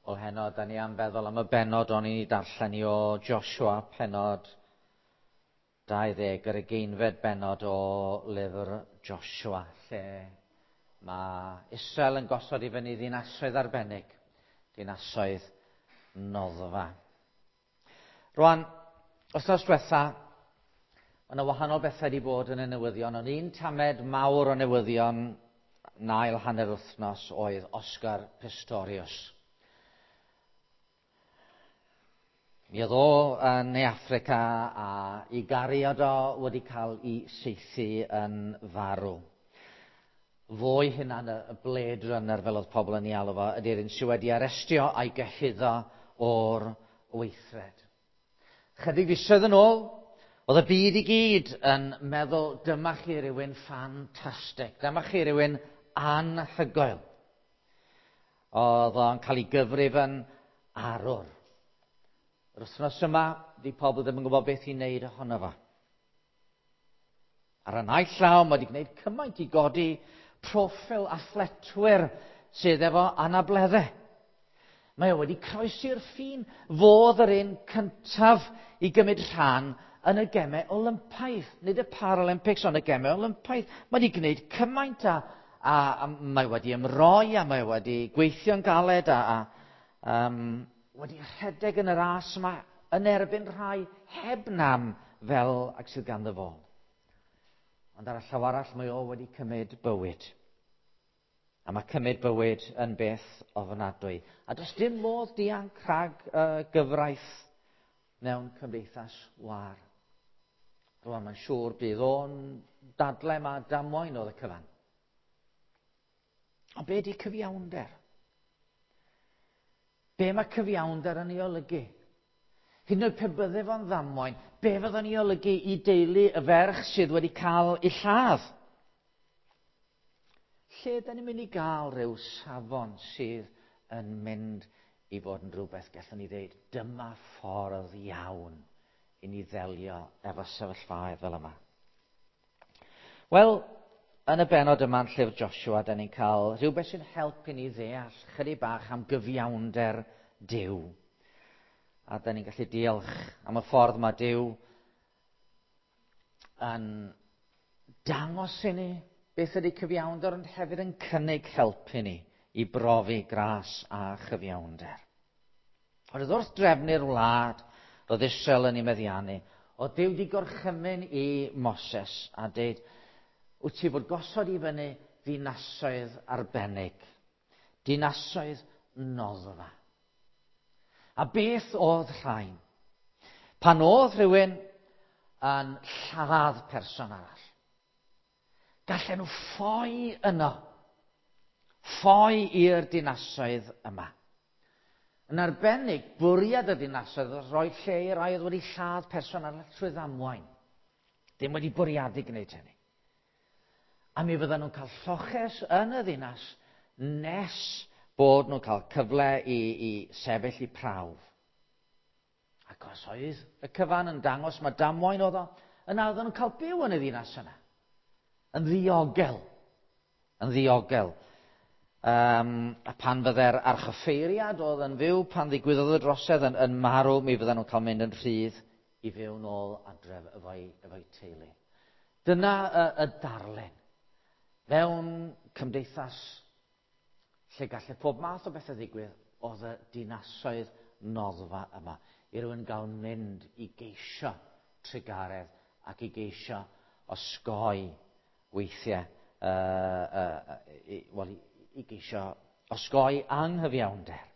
Wel heno, da ni am feddwl am y bennod o'n i'n ei darllen i o Joshua, pennod 20, yr ugeinfed bennod o lyfr Joshua, lle mae Israel yn gosod i fyny ddinasoedd arbennig, dinasoedd noddfa. Rwan, wythnos diwetha, mae yna wahanol bethau wedi bod yn y newyddion, ond un tamed mawr o newyddion nail hanner wythnos oedd Oscar Pistorius. Mi oedd o yn Ne Affrica a i gariad o wedi cael ei saethu yn farw. Fo'i hunan, y Blade Runner fel oedd pobl yn ei alw fo, ydy'r un sydd wedi arestio a'i gyhuddo o'r weithred. Chydig fisoedd yn ôl, oedd y byd i gyd yn meddwl dyma chi rywun ffantastig, dyma chi rywun anhygoel. Oedd o'n cael ei gyfrif yn arwr. Yr wythnos yma, di pobl ddim yn gwybod beth i wneud ohono fo. Ar y naill llaw, mae wedi gwneud cymaint i godi proffil athletwyr sydd efo anableddau. Mae o wedi croesi'r ffin. Fodd yr un cyntaf i gymryd rhan yn y gemau Olympaidd. Nid y Paralympics, ond y gemau Olympaidd. Mae wedi gwneud cymaint a, a, a mae wedi ymroi a mae wedi gweithio'n galed a, a um, wedi rhedeg yn y ras yma yn erbyn rhai heb nam fel ag sydd ganddo fo. Ond ar y llaw arall mae o wedi cymryd bywyd. A mae cymryd bywyd yn beth ofnadwy. A does dim modd dianc rhag uh, gyfraith mewn cymdeithas war. Rwan mae'n siŵr bydd o'n dadle mae damwain oedd y cyfan. Ond be di cyfiawnder? Be mae cyfiawnder yn ei olygu? Hyd yn oed pe bydde fo'n ddamwain, be fydda'n ei olygu i deulu y ferch sydd wedi cael ei lladd? Lle da ni'n mynd i gael rhyw safon sydd yn mynd i fod yn rhywbeth gallwn ni ddeud, dyma ffordd iawn i ni ddelio efo sefyllfaoedd fel yma. Wel, yn y bennod yma yn llyfr Joshua, da ni'n cael rhywbeth sy'n helpu ni ddeall chydig bach am gyfiawnder Duw. A da ni'n gallu diolch am y ffordd mae Duw yn dangos i ni beth ydy cyfiawnder, ond hefyd yn cynnig help i ni i brofi gras a chyfiawnder. Ond wrth drefnu'r wlad, roedd Israel yn ei meddiannu, oedd Duw wedi gorchymyn i Moses a dweud, wyt ti fod gosod i fyny ddinasoedd arbennig, dinasoedd noddfa. A beth oedd rhain? Pan oedd rhywun yn lladd person arall, gallen nhw ffoi yno, ffoi i'r dinasoedd yma. Yn arbennig, bwriad y dinasoedd oedd rhoi lle i rai oedd wedi lladd person arall trwy ddamwain. Dim wedi bwriadu gwneud hynny. A mi fydden nhw'n cael lloches yn y ddinas nes bod nhw'n cael cyfle i, i sefyll i prawf. Ac os oedd y cyfan yn dangos mae damwain oedd o, yna oedden nhw'n cael byw yn y ddinas yna. Yn ddiogel. Yn ddiogel. Um, a pan fydde'r archoffeiriad oedd yn fyw, pan ddigwyddodd y drosedd yn, yn marw, mi fydden nhw'n cael mynd yn rhydd i fyw nôl adref efo'i, efo teulu. Dyna y, y darlun. Mewn cymdeithas lle gallai pob math o bethau ddigwydd, oedd y dinasoedd noddfa yma. I rywun gael mynd i geisio trugaredd ac i geisio osgoi weithiau, uh, uh, uh, well, i, i geisio osgoi anghyfiawnder.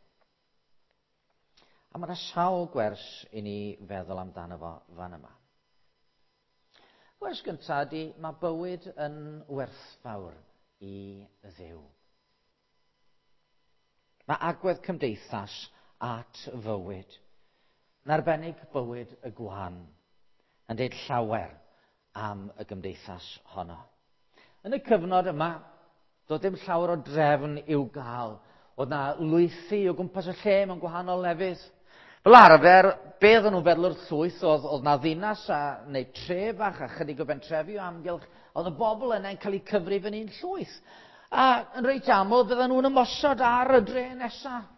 A mae yna sawl gwers i ni feddwl amdano fo fan yma. Gwers gyntaf ydy, mae bywyd yn werthfawr i Dduw. Mae agwedd cymdeithas at fywyd, yn arbennig bywyd y gwan, yn deud llawer am y gymdeithas honno. Yn y cyfnod yma, doedd dim llawer o drefn i'w gael. Oedd na lwythi o gwmpas y lle mewn gwahanol lefydd. Fel arfer, be oedden nhw'n feddwl o'r llwyth oedd, oedd na ddinas a, neu tre bach a chydig o bentrefi o amgylch, oedd y bobl yna'n cael eu cyfrif yn un llwyth. A yn reit aml, bydden nhw'n ymosod ar y dre nesaf.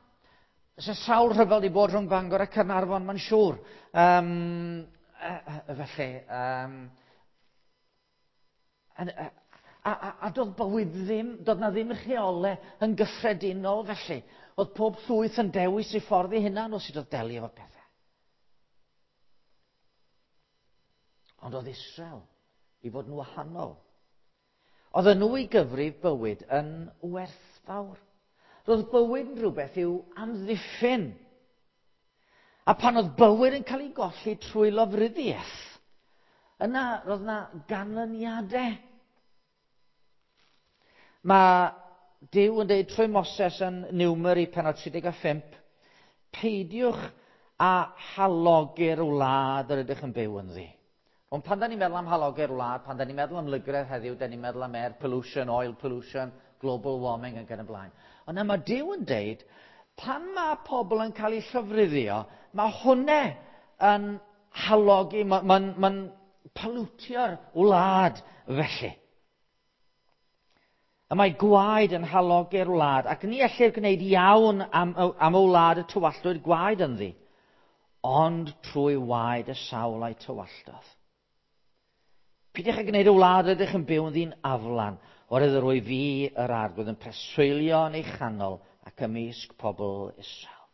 Oes 'na sawl rhyfel 'di bod rhwng Bangor a Caernarfon, mae'n siŵr. Felly, a doedd bywyd ddim, doedd na ddim rheolau yn gyffredinol felly. Oedd pob llwyth yn dewis ei ffordd ei hunan o sut oedd delio efo pethau. Ond oedd Israel i fod yn wahanol. Oedd nhw i gyfrif bywyd yn werthfawr. Roedd bywyd yn rhywbeth i'w amddiffyn. A pan oedd bywyd yn cael ei golli trwy lofruddiaeth, yna roedd yna ganlyniadau. Mae Duw yn dweud trwy Moses yn Niwmeri pennod 35, peidiwch â halogi'r wlad yr ydych yn byw ynddi. Ond pan da ni'n meddwl am halogi'r wlad, pan da ni'n meddwl am lygredd heddiw, da ni'n meddwl am air pollution, oil pollution, global warming ac yn y blaen. Ond na, mae Duw yn deud, pan mae pobl yn cael eu llofruddio, mae hwnna yn halogi, mae'n pollutio'r wlad felly. Y mae gwaed yn halogi'r wlad, ac ni ellir gwneud iawn am y wlad y tywalltwyd gwaed ynddi, ond trwy waed y sawl a'i tywalltodd. Peidiwch â gwneud y wlad rydych yn byw ynddi'n aflan, oherwydd yr wyf fi yr Arglwydd yn preswylio yn ei chanol ac ymysg pobl Israel.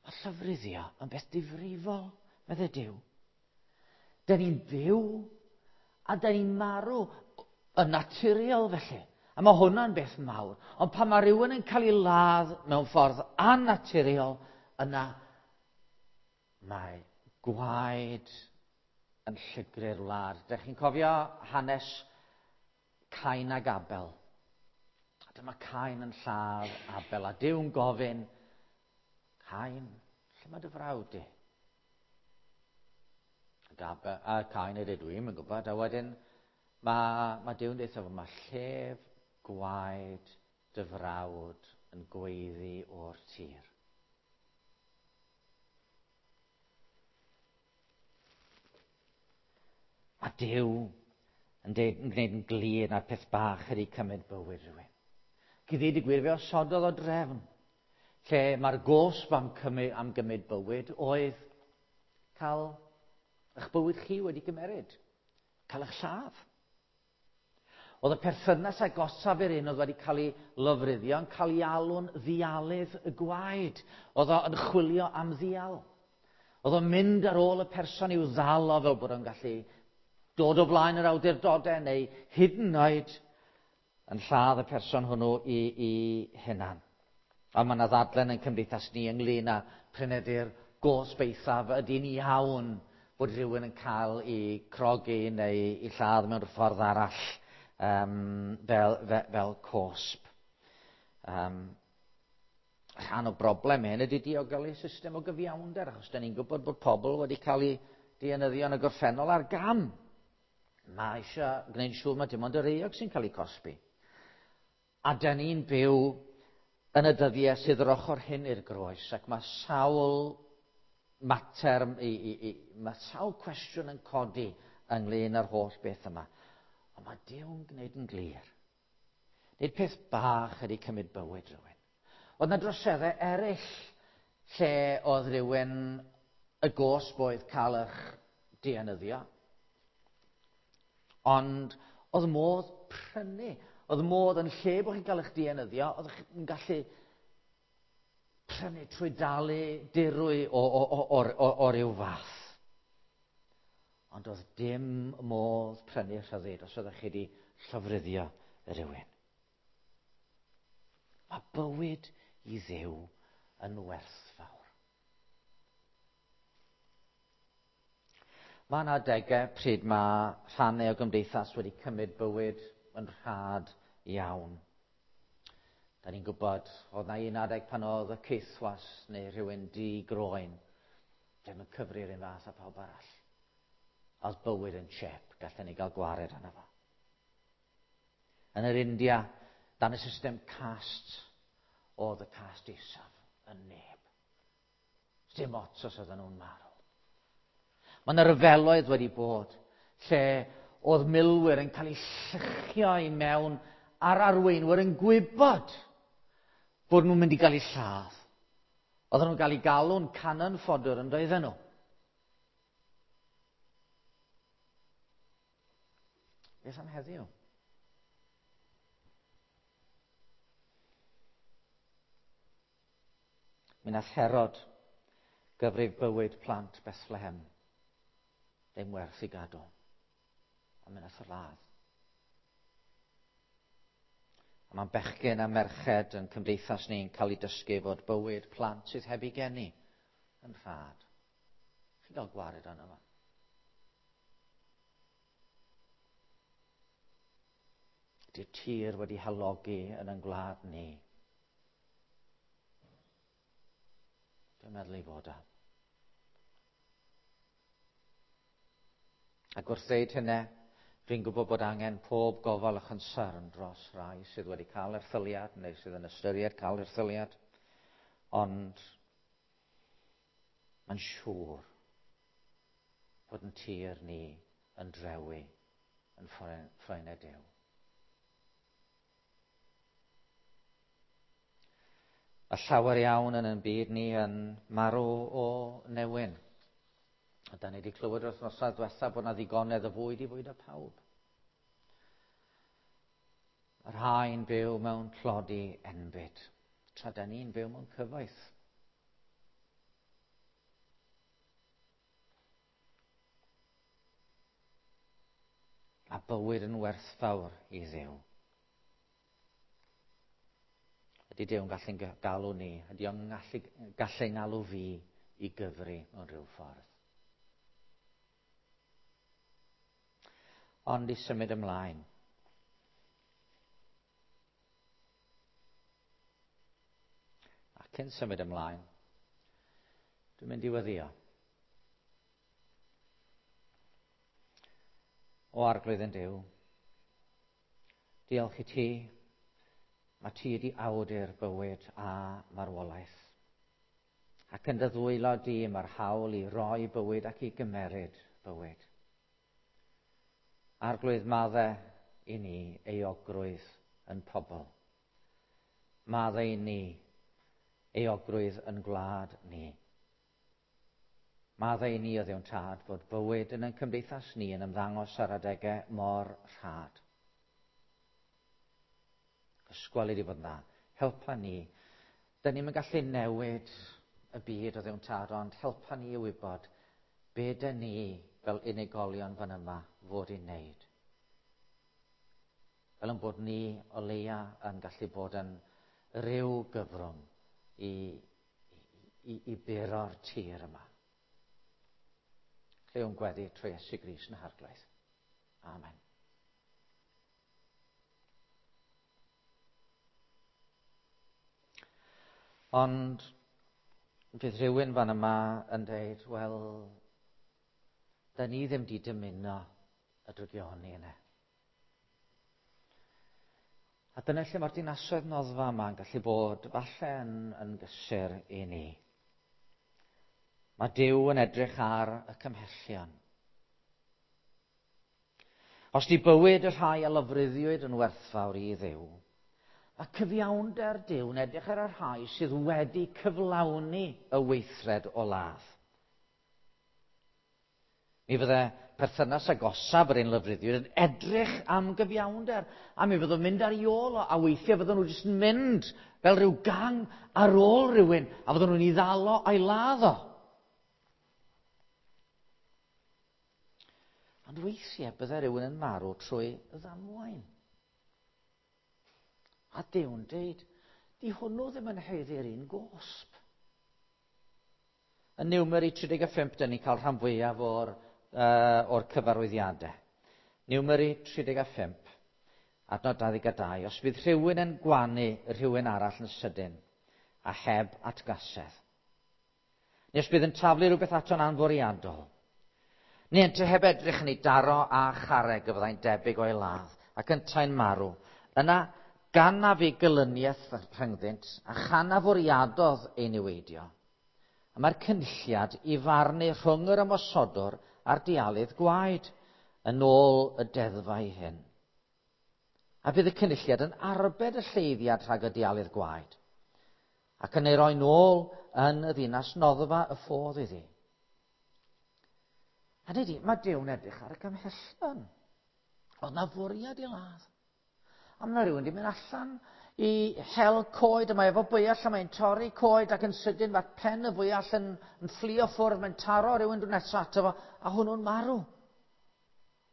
Mae llofruddio yn beth difrifol, meddai Duw. Dyn ni'n byw a dyn ni'n marw yn naturiol felly. A mae hwnna'n beth mawr. Ond pan mae rhywun yn cael ei ladd mewn ffordd annaturiol, yna mae gwaed yn llygru'r wlad. Dych chi'n cofio hanes Cain ag Abel? A dyma Cain yn lladd Abel, a Duw'n gofyn, Cain, lle mae dy frawd di? Ac Abel, a Cain yn dweud, dwi'm yn gwybod. A wedyn mae Duw'n dweud wrtho fo, mae llef gwaed dy frawd yn gweiddi o'r tir. A Duw yn deud, yn gwneud yn glir na'r peth bach ydy cymryd bywyd rhywun. Ac i ddweud y gwir, fe osododd o drefn lle mae'r gosb am gymryd bywyd oedd cael eich bywyd chi wedi gymeryd, cael eich lladd. Oedd y perthynas agosaf i'r un oedd wedi cael ei lofruddio yn cael ei alw'n ddialydd y gwaed. Oedd o yn chwilio am ddial. Oedd o'n mynd ar ôl y person i'w ddal o fel bod o'n gallu dod o flaen yr awdurdodau neu hyd yn oed yn lladd y person hwnnw i hunan. A mae yna ddadlen yn cymdeithas ni ynglyn â p'run ydy'r gosb eithaf, ydy'n iawn bod rhywun yn cael ei crogi neu ei lladd mewn ffordd arall fel cosb. Rhan o broblem hyn ydy diogelu system o gyfiawnder, achos da ni'n gwybod bod pobl wedi cael eu dienyddio yn y gorffennol ar gam. Mae eisiau gwneud siŵr mae dim ond yr euog sy'n cael ei cosbi. A da ni'n byw yn y dyddiau sydd yr ochr hyn i'r groes, ac mae sawl mater, mae sawl cwestiwn yn codi ynglyn â'r holl beth yma. Ond mae Duw'n gwneud yn glir. Nid peth bach ydy cymryd bywyd rhywun. Oedd yna droseddau eraill lle oedd rhywun y gosb oedd cael eich dienyddio. Ond oedd modd prynu. Oedd modd yn lle bod chi'n cael eich dienyddio, oedd chi'n gallu prynu trwy dalu dirwy o ryw fath. Ond oedd dim modd prynu rhyddid os oeddech chi wedi llofruddio rhywun. Mae bywyd i Dduw yn werthfawr. Mae yna adegau pryd mae rhannau o gymdeithas wedi cymryd bywyd yn rhad iawn. Da ni'n gwybod, oedd na un adeg pan oedd y caethwas neu rhywun di-groen ddim yn cyfri'r un fath â pawb arall. Oedd bywyd yn chep, gallen ni gael gwared arno fo. Yn yr India, dan y system caste, oedd y caste isaf yn neb. Dim ots os oedden nhw'n marw. Mae yna ryfeloedd wedi bod lle oedd milwyr yn cael eu lluchio i mewn a'r arweinwyr yn gwybod Bod nhw'n mynd i gael eu lladd. Oedden nhw'n cael eu galw'n cannon fodder yn doedden nhw. Beth am heddiw? Mi nath Herod gyfrif bywyd plant Bethlehem. Ddim werth i gadw. A mi nath o ladd. A mae'n bechgyn a merched yn cymdeithas ni'n cael ei dysgu fod bywyd plant sydd heb ei geni yn rhad. Chi'n cael gwared arno fo. Ydy'r tir wedi halogi yn ein gwlad ni? Dwi'n meddwl ei fod o. Ac wrth ddeud hynny, dwi'n gwybod bod angen pob gofal a chonsern dros rai sydd wedi cael erthyliad neu sydd yn ystyried cael erthyliad, ond mae'n siŵr bod yn tir ni yn drewi yn ffroenau Duw. Mae llawer iawn yn ein byd ni yn marw o newyn. A da ni wedi clywed yr wythnosau diwethaf bod yna ddigonedd o fwyd i fwydo pawb. Mae'r rhai'n byw mewn tlodi enbyd, tra da ni'n byw mewn cyfoeth. A bywyd yn werthfawr i Dduw. Ydy Duw'n gallu'n galw ni? Ydy o'n gallu, gallu ngalw fi i gyfri mewn rhyw ffordd? Ond i symud ymlaen. A cyn symud ymlaen, dwi'n mynd i weddio. O Arglwydd yn Duw, diolch i ti, mae ti wedi awdur bywyd a marwolaeth. Ac yn dy ddwylo di mae'r hawl i roi bywyd ac i gymeryd bywyd. Arglwydd madde i ni euogrwydd yn pobl. Madde i ni euogrwydd yn gwlad ni. Maddau i ni o Dduw'n Tad fod bywyd yn ein cymdeithas ni yn ymddangos ar adegau mor rhad. Ysgwel i di fod yn dda. Helpa ni. Da ni'n gallu newid y byd o Dduw'n Tad, ond helpa ni i wybod be da ni fel unigolion fan yma fod i'n neud. Fel yn bod ni o leia yn gallu bod yn rhyw gyfrwng i, i, i buro'r tir yma. Clywn gweddi trwy Iesu Grist yn Harglwydd. Amen. Ond fydd rhywun fan yma yn dweud, wel, da ni ddim di dymuno y drygioni yna. A dyna lle mae'r dinasoedd noddfa yma yn gallu bod falle yn, yn gysur i ni. Mae Duw yn edrych ar y cymhellion. Os di bywyd y rhai a lofruddiwyd yn werthfawr i Dduw, mae cyfiawnder Duw yn edrych ar y rhai sydd wedi cyflawni y weithred o ladd. Mi fydde perthynas agosaf yr un lofruddiwyd yn edrych am gyfiawnder, a mi fyddwn mynd ar ei ôl o, a weithiau fyddwn nhw jyst yn mynd fel rhyw gang ar ôl rhywun, a fyddwn nhw'n ei ddal o a'i ladd o. Ond weithiau bydde rhywun yn marw trwy ddamwain. A Duw'n deud, di hwnnw ddim yn haeddu'r un gosb. Yn Niwmeri 35, dyn ni'n cael rhan fwyaf o'r, uh, or cyfarwyddiadau. Niwmeri 35, adnod 22. Os bydd rhywun yn gwanu rhywun arall yn sydyn, a heb atgasedd. Neu os bydd yn taflu rhywbeth ato'n anfwriadol. Neu ynte heb edrych yn ei daro a charreg y fyddai'n debyg o'i ladd, ac yntau'n marw. Yna, gan na fu gelyniaeth rhyngddynt, a chan na fwriadodd ei niweidio, A mae'r cynulliad i farnu rhwng yr ymosodwr a'r dialydd gwaed yn ôl y deddfau hyn. A bydd y cynulliad yn arbed y lleiddiad rhag y dialydd gwaed. Ac yn ei roi nôl yn y ddinas noddfa y ffodd iddi. A dydy, mae Duw'n edrych ar y cymhellion. Oedd na fwriad i ladd. A mae rhywun wedi mynd allan i hel coed, a mae efo bwyall a mae'n torri coed ac yn sydyn mae pen y fwyall yn fflio ffwrdd, mae'n taro rhywun drwy nesaf ato fo, a hwnnw'n marw.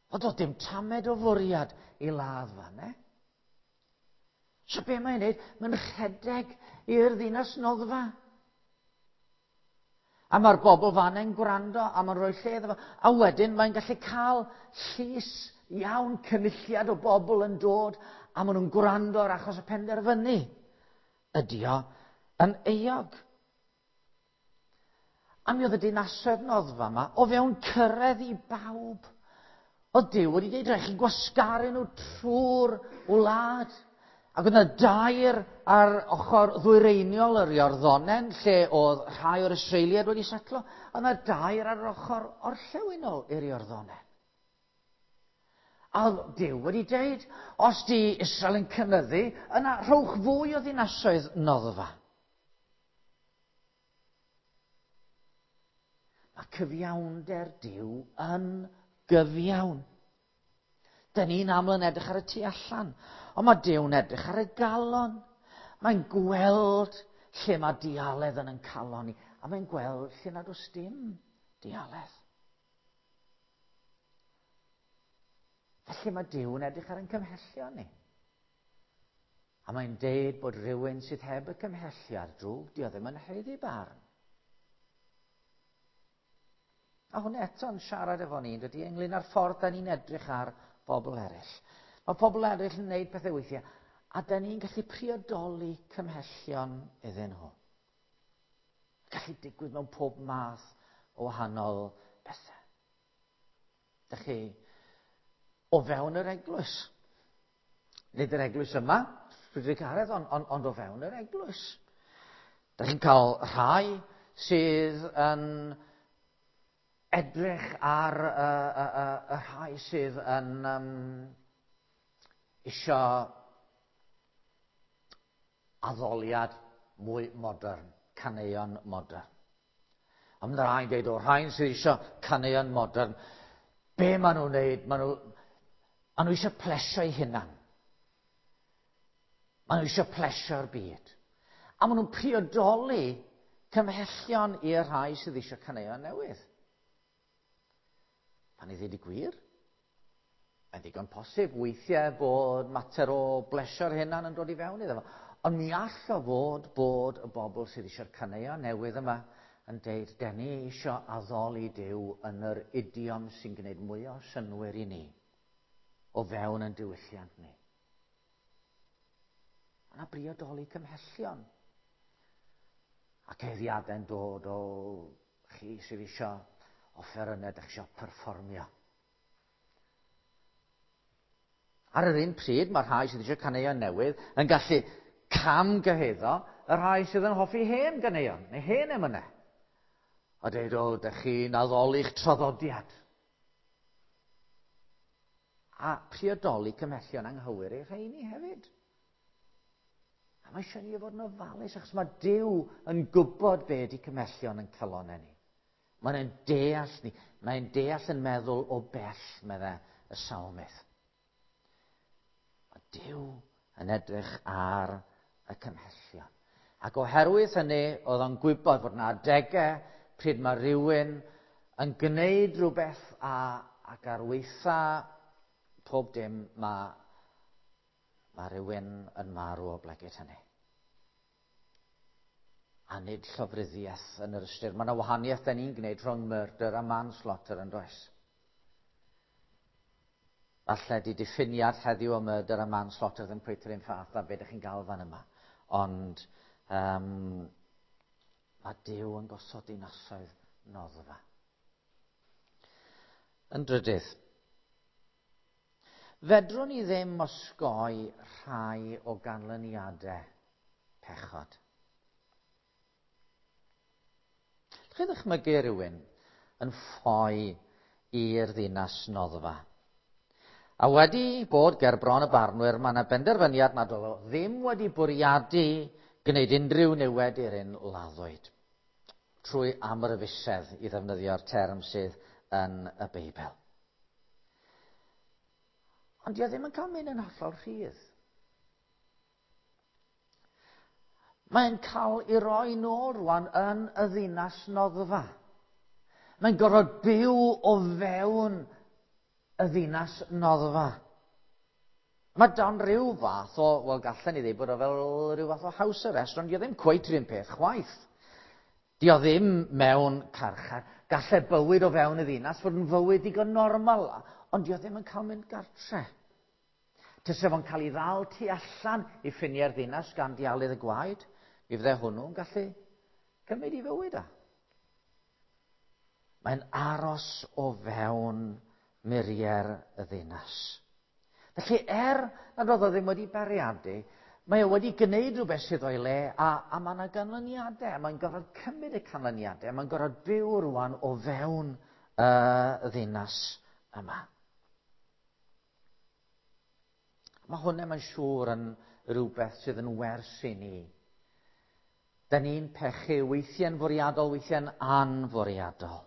Ond doedd dim tamed o fwriad i ladd fan, e? So be mae'n neud? Mae'n rhedeg i'r ddinas noddfa. A mae'r bobl fan yn gwrando a mae'n rhoi lle iddo fo. A wedyn mae'n gallu cael llys iawn cynulliad o bobl yn dod a maen nhw'n gwrando ar achos y penderfynu. Ydy o yn euog. A mi oedd y dinasoedd noddfa yma o fewn cyrraedd i bawb. Oedd Duw wedi dweud rhaid chi gwasgaru nhw trwy'r wlad. Ac oedd yna dair ar ochr ddwyreiniol yr Iorddonen, lle oedd rhai o'r Israeliaid wedi setlo, a yna dair ar yr ochr orllewinol i'r Iorddonen. A oedd Duw wedi dweud, os di Israel yn cynyddu, yna rhowch fwy o ddinasoedd noddfa. Mae cyfiawnder Duw yn gyfiawn. Dyn ni'n aml yn edrych ar y tu allan, ond mae Duw'n edrych ar y galon. Mae'n gweld lle mae dialedd yn ein calon ni, a mae'n gweld lle nad oes dim dialedd. Felly mae Duw'n edrych ar ein cymhellion ni. A mae'n deud bod rhywun sydd heb y cymhelliad drwg, di o ddim yn haeddu barn. A hwn eto'n siarad efo ni, dydy, ynglyn â'r ffordd da ni'n edrych ar bobl eraill. Mae pobl eraill yn gwneud pethau weithiau, a da ni'n gallu priodoli cymhellion iddyn nhw. Gallu digwydd mewn pob math o wahanol bethau. Dych chi o fewn yr eglwys. Nid yr eglwys yma, Rhydrygaredd, ond o fewn yr eglwys. Dych chi'n cael rhai sydd yn edrych ar y rhai sydd yn isio addoliad mwy modern, caneuon modern. A mae rhai'n dweud, o rhain sydd eisiau caneuon modern, be maen nhw'n wneud? Maen nhw eisiau plesio eu hunan. Maen nhw eisiau plesio'r byd. A maen nhw'n priodoli cymhellion i'r rhai sydd eisiau caneuon newydd. Pan i ddweud y gwir, mae'n ddigon posib weithiau bod mater o blesio'r hunan yn dod i fewn iddo fo. Ond mi all o fod bod y bobl sydd eisiau'r caneuon newydd yma yn deud, den ni eisiau addoli Duw yn yr idiom sy'n gwneud mwy o synnwyr i ni o fewn yn diwylliant ni. Yna briodoli cymhellion. Ac eiddiadau'n dod o chi sydd eisiau offerynnau, ydych eisiau perfformio. Ar yr un pryd, mae rhai sydd eisiau caneuon newydd yn gallu camgyhuddo y rhai sydd yn hoffi hen ganeuon, neu hen emynau. A dweud, o, dych chi'n addoli'ch traddodiad. A priodoli cymhellion anghywir i'r rheini hefyd. A mae eisiau ni fod yn ofalus, achos mae Duw yn gwybod be ydy cymhellion yn calonau ni. Mae'n deall ni. Mae'n deall yn meddwl o bell, meddai y salmydd. Mae Duw yn edrych ar y cymhellion. Ac oherwydd hynny, oedd o'n gwybod fod yna adegau pryd mae rhywun yn gwneud rhywbeth ac ar weitha pob dim mae rhywun yn marw o blegid hynny. A nid llofruddiaeth yn yr ystyr. Mae yna wahaniaeth da ni'n gwneud rhwng murder a manslaughter yn does. Falle di diffiniad heddiw o murder a manslaughter ddim cweit yr un fath a be ydych chi'n gael fan yma. Ond mae Duw yn gosod dinasoedd noddfa. Yn drydydd, fedrwn ni ddim osgoi rhai o ganlyniadau pechod. Chi ddychmygu rhywun yn ffoi i'r ddinas noddfa. A wedi bod ger bron y barnwyr, mae yna benderfyniad nad oedd o ddim wedi bwriadu gwneud unrhyw niwed i'r un laddwyd. Trwy amryfusedd i ddefnyddio'r term sydd yn y Beibl. Ond di o ddim yn cael mynd yn hollol rhydd. Mae'n cael ei roi nôl rwan yn y ddinas noddfa. Mae'n gorfod byw o fewn y ddinas noddfa. Mae dan rhyw fath o, wel gallen ni ddweud bod o fel rhyw fath o house arrest, ond di o ddim cweit rhywun peth chwaith. Di o ddim mewn carchar. Gallai bywyd o fewn y ddinas fod yn fywyd digon normal, ond di o ddim yn cael mynd gartre. Tyse fo'n cael ei ddal tu allan i ffiniau'r ddinas gan dialydd y gwaed, mi fydde hwnnw'n gallu cymryd i fywyd a. Mae'n aros o fewn muriau'r y ddinas. Felly nad oedd o ddim wedi bariadu, mae o wedi gwneud rhywbeth sydd o'i le, a, a mae yna ganlyniadau. Mae'n gorfod cymryd y canlyniadau, mae'n gorfod byw rwan o fewn y ddinas yma. Mae hwnna mae'n siŵr yn rhywbeth sydd yn wers i ni. Da ni'n pechu weithiau'n fwriadol, weithiau'n anfwriadol.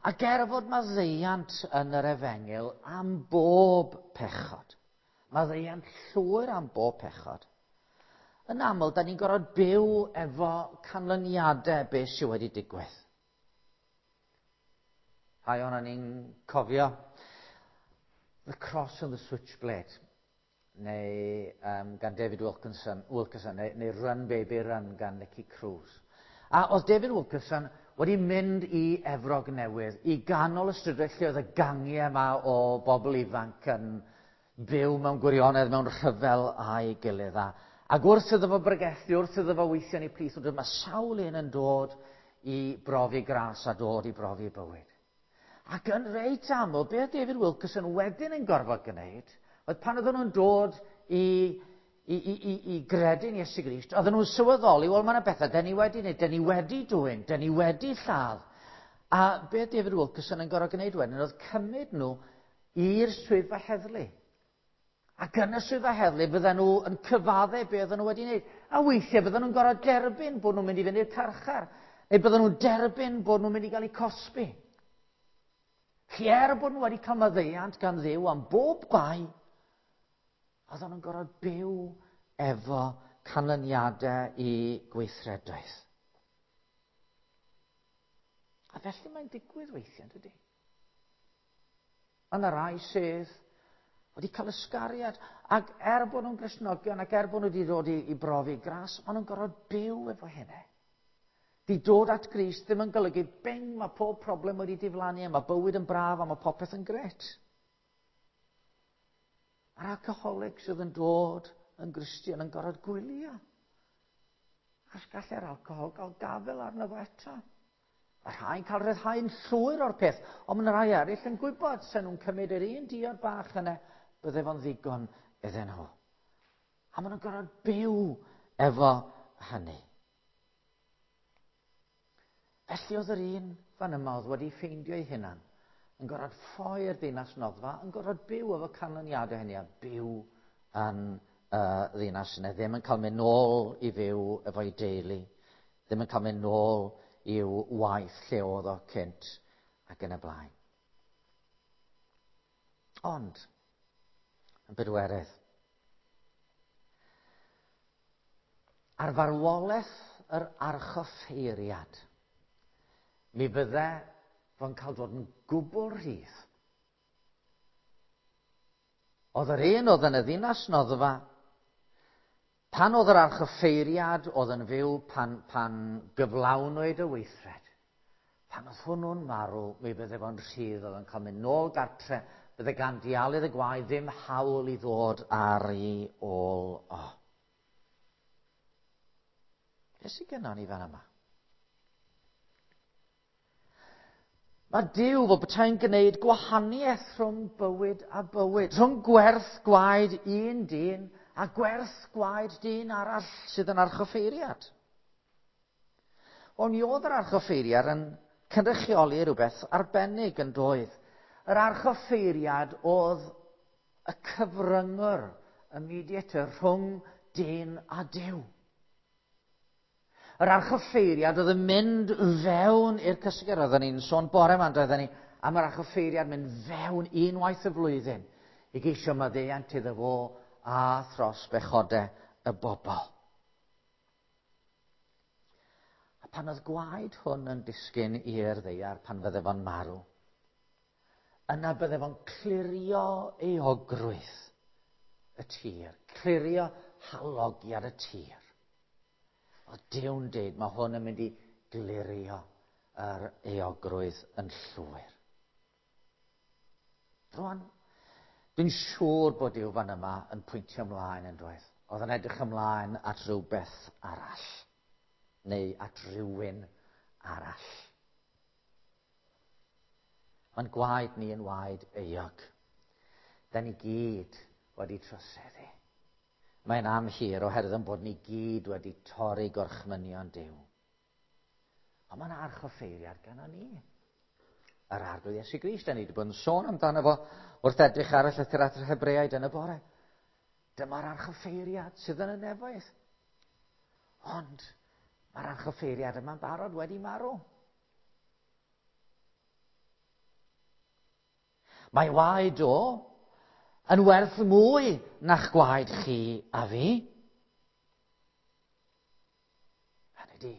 Ac er fod maddeuant yn yr efengyl am bob pechod, maddeuant llwyr am bob pechod, yn aml, da ni'n gorfod byw efo canlyniadau beth sydd wedi digwydd. Rhai o'n ni'n cofio The Cross and the Switchblade, neu um, gan David Wilkinson, Wilkerson neu, neu Run Baby Run gan Nicky Cruz. A oedd David Wilkerson wedi mynd i Efrog Newydd, i ganol y strydoedd lle oedd y gangiau yma o bobl ifanc yn byw mewn gwirionedd, mewn rhyfel a'i gilydd. A, ac wrth iddo fo bregethu, wrth iddo fo weithio yn ei plith, mae sawl un yn dod i brofi gras a dod i brofi bywyd. Ac yn reit aml, be oedd David Wilkerson wedyn yn gorfod gwneud, oedd pan oedden nhw'n dod i, i, i, i, i gredu'n Iesu Grist, oedden nhw'n sylweddoli, wel mae yna bethau, den ni wedi wneud, den ni wedi dwyn, den ni wedi lladd. A be oedd David Wilkerson yn gorfod gwneud wedyn oedd cymryd nhw i'r swyddfa heddlu. Ac yn y swyddfa heddlu bydden nhw yn cyfadde be oedden nhw wedi wneud. A weithiau bydden nhw'n gorfod derbyn bod nhw'n mynd i fynd i'r carchar. Neu bydden nhw'n derbyn bod nhw'n mynd i gael eu cosbi. Felly er bod nhw wedi cael maddeuant gan Dduw am bob bai, oedden nhw'n gorfod byw efo canlyniadau i gweithredoedd. A felly mae'n digwydd weithiau, dydy? Mae yna rai sydd wedi cael ysgariad, ac er bod nhw'n Gristnogion, ac er bod nhw wedi dod i, i brofi gras, maen nhw'n gorfod byw efo hynny. Di dod at Grist ddim yn golygu, bing, mae pob problem wedi diflannu, a mae bywyd yn braf, a mae popeth yn gret. Mae'r alcoholic sydd yn dod yn Gristion yn gorfod gwylio. Achos gallai'r alcohol gael gafel arno fo eto. Mae rhai'n cael rhyddhau'n llwyr o'r peth, ond mae rhai eraill yn gwybod sen nhw'n cymryd yr un diod bach yna, bydde fo'n ddigon iddyn nhw. A maen nhw'n gorfod byw efo hynny. Felly oedd yr un fan yma oedd wedi ffeindio ei hunan yn gorfod ffoi'r ddinas noddfa, yn gorfod byw efo canlyniadau hynny a byw yn y ddinas yna. Ddim yn cael mynd nôl i fyw efo'i deulu, ddim yn cael mynd nôl i'w waith lle oedd o cynt ac yn y blaen. Ond, yn bedwerydd, ar farwolaeth yr archoffeiriad, mi fydde fo'n cael dod yn gwbl rhydd. Oedd yr un oedd yn y ddinas noddfa, pan oedd yr archoffeiriad oedd yn fyw pan, pan gyflawnwyd y weithred, pan oedd hwnnw'n marw, mi fydde fo'n rhydd, oedd yn cael mynd nôl gartre, bydde gan dialydd y gwaed ddim hawl i ddod ar ei ôl o. Beth sydd gennon ni fan yma? Mae Duw fel petai'n gwneud gwahaniaeth rhwng bywyd a bywyd, rhwng gwerth gwaed un dyn a gwerth gwaed dyn arall sydd yn archoffeiriad. Wel, mi oedd yr archoffeiriad yn cynrychioli rhywbeth arbennig yn doedd. Yr archoffeiriad oedd y cyfryngwr, y mediator, rhwng dyn a Duw. Yr archoffeiriad oedd yn mynd fewn i'r cysegr. Oedden ni'n sôn bore yma, doedden ni, am yr archoffeiriad mynd fewn unwaith y flwyddyn i geisio maddeuant iddo fo a thros bechodau y bobl. A pan oedd gwaed hwn yn disgyn i'r ddaear pan fydde fo'n marw, yna bydde fo'n clirio euogrwydd y tir, clirio halogiad y tir. Oedd Duw'n deud, mae hwn yn mynd i glirio yr euogrwydd yn llwyr. Rwan, dwi'n siŵr bod Duw fan yma yn pwyntio ymlaen yn dweud. Oedd yn edrych ymlaen at rhywbeth arall. Neu at rhywun arall. Mae'n gwaed ni yn waed euog. Da ni gyd wedi troseddu. Mae'n amhir oherwydd yn bod ni gyd wedi torri gorchmynion Duw. Ond mae'n archoffeiriad gan ni. Yr Arglwydd Iesu Grist, da ni wedi bod yn sôn amdano fo wrth edrych ar y llythyr at yr Hebreaid yn y bore. Dyma'r archoffeiriad sydd yn y nefoedd. Ond mae'r archoffeiriad yma'n barod wedi marw. Mae waed o yn werth mwy na'ch gwaed chi a fi. Hynny di,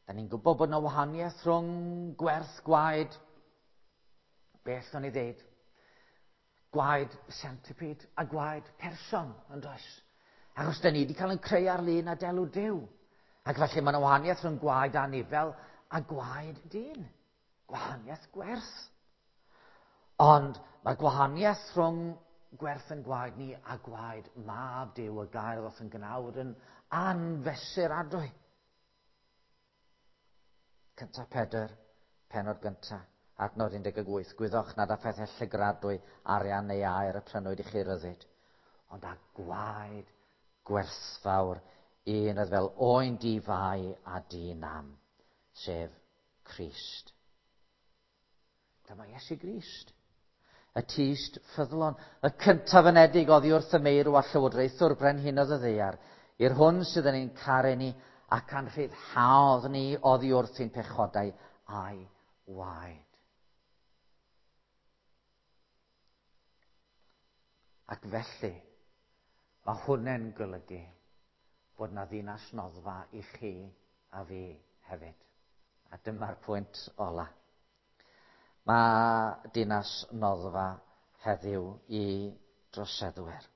da ni'n gwybod bod yna wahaniaeth rhwng gwerth gwaed, beth o'n i ddeud, gwaed centipede a gwaed person, yn does? Achos da ni wedi cael yn creu ar lun a delw Duw. Ac felly mae yna wahaniaeth rhwng gwaed anifel a gwaed dyn. Gwahaniaeth gwerth. Ond mae gwahaniaeth rhwng gwerth yn gwaed ni a gwaed mab Duw y gair ddoth yn gnawd yn anfesuradwy. 1 Pedr, penod 1, adnod 18. Gwyddoch nad â phethau llygradwy, arian neu aur y prynwyd i chi ryddid, ond â gwaed gwerthfawr un oedd fel oen di-fai a di-nam, sef Crist. Dyma Iesu Grist. Y tyst ffyddlon, y cyntaf anedig oddi wrth y meirw a llywodraethwr brenhinodd y ddaear, i'r hwn sydd yn ein caru ni ac anrhyddhaodd ni oddi wrth ein pechodau a'i waed. Ac felly, mae hwnna'n golygu bod na ddinas noddfa i chi a fi hefyd. A dyma'r pwynt ola. Mae dinas noddfa heddiw i droseddwyr.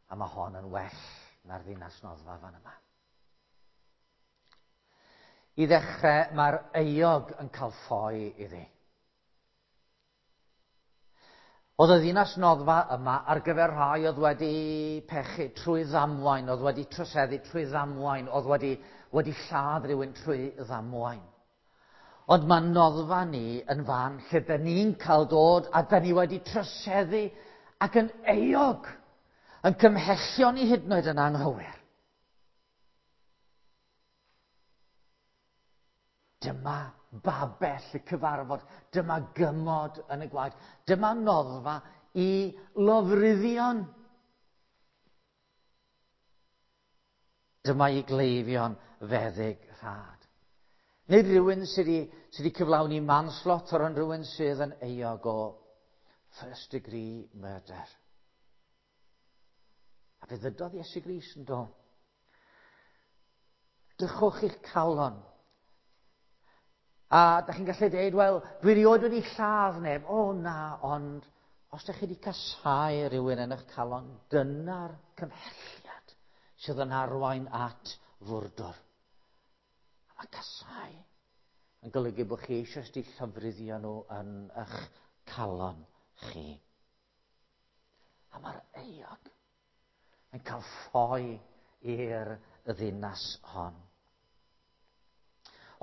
A mae hon yn well na'r ddinas noddfa fan yma. I ddechrau, mae'r euog yn cael ffoi iddi. Oedd y ddinas noddfa yma ar gyfer rhai oedd wedi pechu trwy ddamwain, oedd wedi troseddu trwy ddamwain, oedd wedi lladd rhywun trwy ddamwain. Ond mae noddfa ni yn fan lle da ni'n cael dod a da ni wedi troseddu ac yn euog, yn cymhellio ni hyd yn oed yn anghywir. Dyma babell y cyfarfod, dyma gymod yn y gwaed, dyma noddfa i lofruddion. Dyma i gleifion feddyg rhad. Nid rhywun sydd wedi cyflawni manslaughter, ond rhywun sydd yn euog o first degree murder. A fe ddydodd Iesu Grist yn do. Drychwch i'ch calon. A da chi'n gallu dweud, wel, dwi rioed wedi lladd neb. O na, ond os da chi wedi casau rhywun yn eich calon, dyna'r cymhelliad sydd yn arwain at fwrdwr. A mae casau yn golygu bod chi eisoes wedi llofruddio nhw yn eich calon chi. A mae'r euog yn cael ffoi i'r ddinas hon.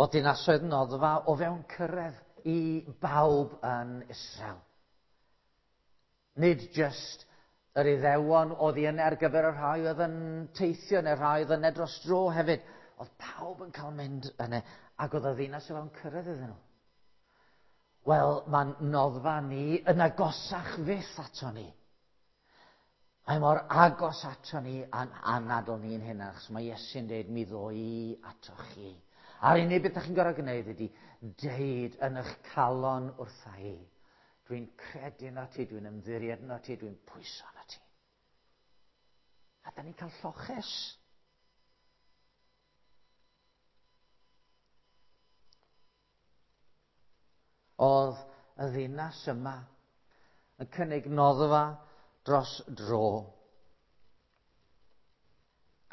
O dinasoedd noddfa o fewn cyrraedd i bawb yn Israel. Nid jyst yr Iddewon oedd yna ar gyfer y rhai oedd yn teithio neu'r rhai oedd yna dros dro hefyd. Oedd pawb yn cael mynd yna ac oedd y ddinas o fewn cyrraedd iddyn nhw. Wel, mae'n noddfa ni yn agosach fyth ato ni. Mae mor agos ato ni a'n anadl ni'n hyn, achos mae Iesu'n dweud, mi ddo i ato chi. A'r unig beth ydych chi'n gorfod gwneud ydy deud yn eich calon wrtha i. Dwi'n credu yno ti, dwi'n ymddiried yno ti, dwi'n pwyso yno ti. A da ni'n cael lloches. Oedd y ddinas yma yn cynnig noddfa dros dro.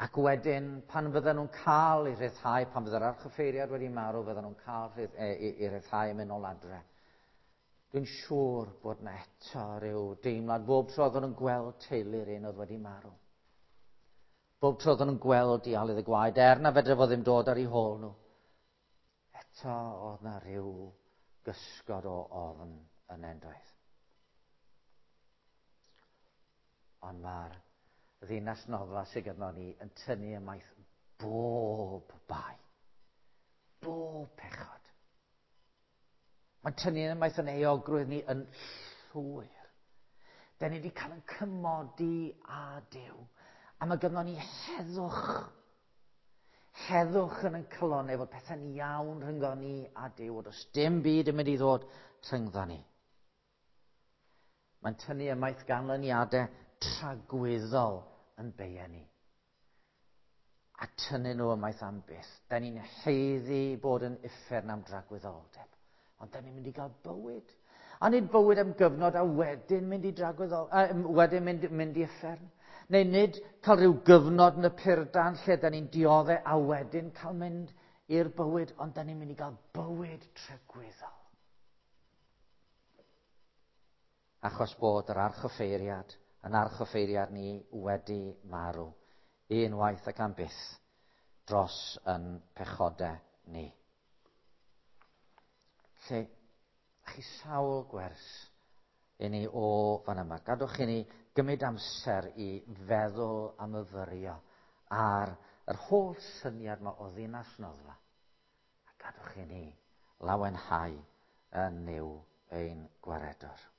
Ac wedyn, pan fydden nhw'n cael eu rhyddhau, pan fydde'r archoffeiriad wedi marw, fydden nhw'n cael eu rhyddhau yn mynd nôl adre. Dwi'n siŵr bod yna eto rhyw deimlad bob tro oedden nhw'n gweld teulu'r un oedd wedi marw. Bob tro oedden nhw'n gweld dialydd y gwaed, er na fedre fo ddim dod ar eu hôl nhw. Eto oedd na rhyw gysgod o ofn yn endoedd. Ond mae'r ddinas noddfa sydd gyda ni yn tynnu ymaith bob bai. Bob pechod. Mae'n tynnu ymaith yn euogrwydd ni yn llwyr. Da ni wedi cael yn cymodi â Duw. A mae gynnon ni heddwch. Heddwch yn ein calonnau fod pethau'n iawn rhyngddo ni a Duw. Does dim byd yn mynd i ddod rhyngddo ni. Mae'n tynnu ymaith ganlyniadau tragwyddol yn beia ni. A tynnu nhw ymaith am byth. Da ni'n haeddu bod yn uffern am dragwyddoldeb. Ond da ni'n mynd i gael bywyd. A nid bywyd am gyfnod a wedyn mynd i dragwyddol, wedyn mynd, mynd i uffern. Neu nid cael rhyw gyfnod yn y purdan lle da ni'n dioddef a wedyn cael mynd i'r bywyd, ond da ni'n mynd i gael bywyd tragwyddol. Achos bod yr archoffeiriad yn archoffeiriad ni wedi marw unwaith ac am byth dros yn pechodau ni. Lle, chi sawl gwers i ni o fan yma. Gadwch i ni gymryd amser i feddwl a myfyrio ar yr holl syniad yma o ddinas noddfa. A gadwch i ni lawenhau yn Nuw ein gwaredwr.